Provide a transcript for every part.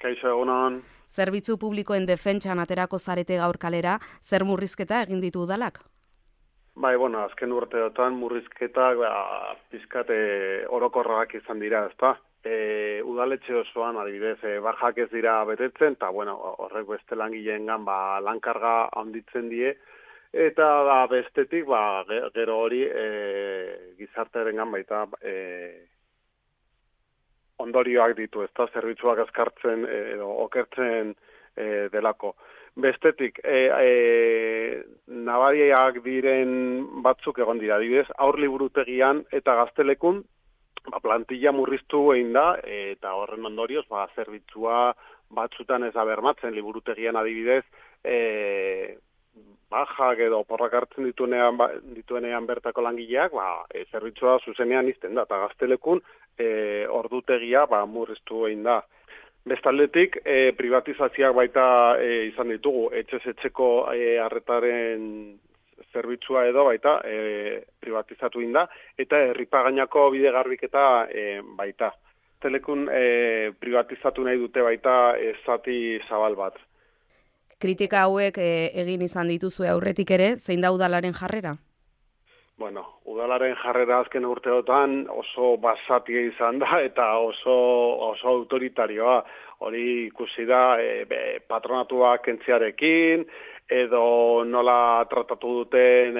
Kaixo egunon. Zerbitzu publikoen defentsan aterako zarete gaur kalera, zer murrizketa egin ditu udalak? Bai, azken urteotan murrizketak pizkat orokorrak izan dira, ezta? Udaletxe osoan, adibidez, bajak ez dira betetzen, eta horrek beste langileengan lankarga handitzen die, eta bestetik gero hori gizartearengan baita ondorioak ditu, ezta? Zerbitzuak azkartzen edo okertzen delako. Bestetik, nabariak diren batzuk egon dira, adibidez, aur liburutegian eta gaztelekun plantilla murriztu egin da, eta horren ondorioz, zerbitzua batzutan ez da bermatzen, liburutegian adibidez, bajak edo porrak hartzen dituenean bertako langileak, zerbitzua zuzenean izten da, eta gaztelekun ordutegia murriztu egin da. Bestaldetik, privatizazioak baita izan ditugu, etxez-etxeko arretaren zerbitzua edo baita privatizatu egin da, eta herripagainako bide garbiketa baita. Telekun privatizatu nahi dute baita zati zabal bat. Kritika hauek egin izan dituzue aurretik ere, zein da udalaren jarrera? Udalaren jarrera azken urteotan oso basatia izan da eta oso autoritarioa. Hori ikusi da patronatuak kentziarekin, edo nola tratatu duten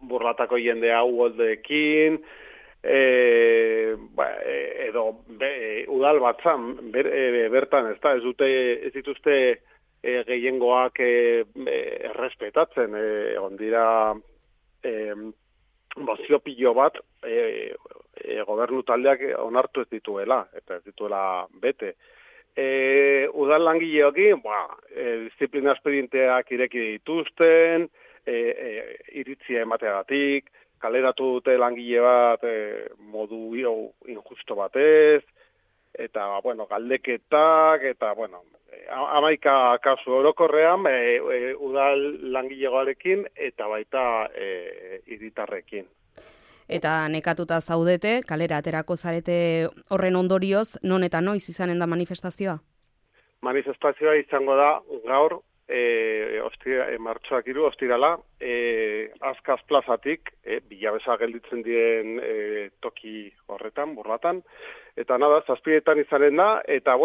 burlatako jendea uholdeekin, edo udal batzan bertan, ez dituzte gehiengoak errespetatzen, egon dira mozio pilo bat gobernu taldeak onartu ez dituela, eta ez dituela bete. Udal langileokin, disiplina espedienteak ireki dituzten, iritzia emateagatik, kaleratu dute langile bat modu injusto batez, eta galdeketak, eta 11 kasu orokorrean udal langilegoarekin eta baita hiritarrekin. Eta nekatuta zaudete, kalera aterako zarete horren ondorioz, non eta noiz izanen da manifestazioa? Manifestazioa izango da gaur, martxoak 3, ostirala, Azkaz plazatik, Bilabesa gelditzen diren toki horretan, burlatan, eta 7etan izanen da, eta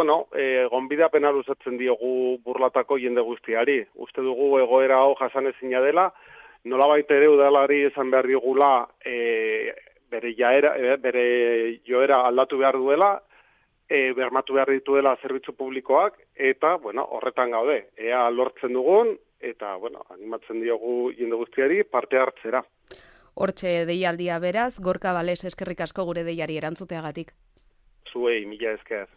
gonbidapena luzatzen diogu burlatako jende guztiari. Uste dugu egoera hau jasanezina dela, nolabait ere udalari esan behar digula bere joera aldatu behar duela, bermatu behar dituela zerbitzu publikoak, eta horretan gaude, ea lortzen dugun, eta animatzen diogu jende guztiari parte hartzera. Hortxe deialdia beraz, Gorka Bales eskerrik asko gure deiari erantzuteagatik. Zuei, mila esker.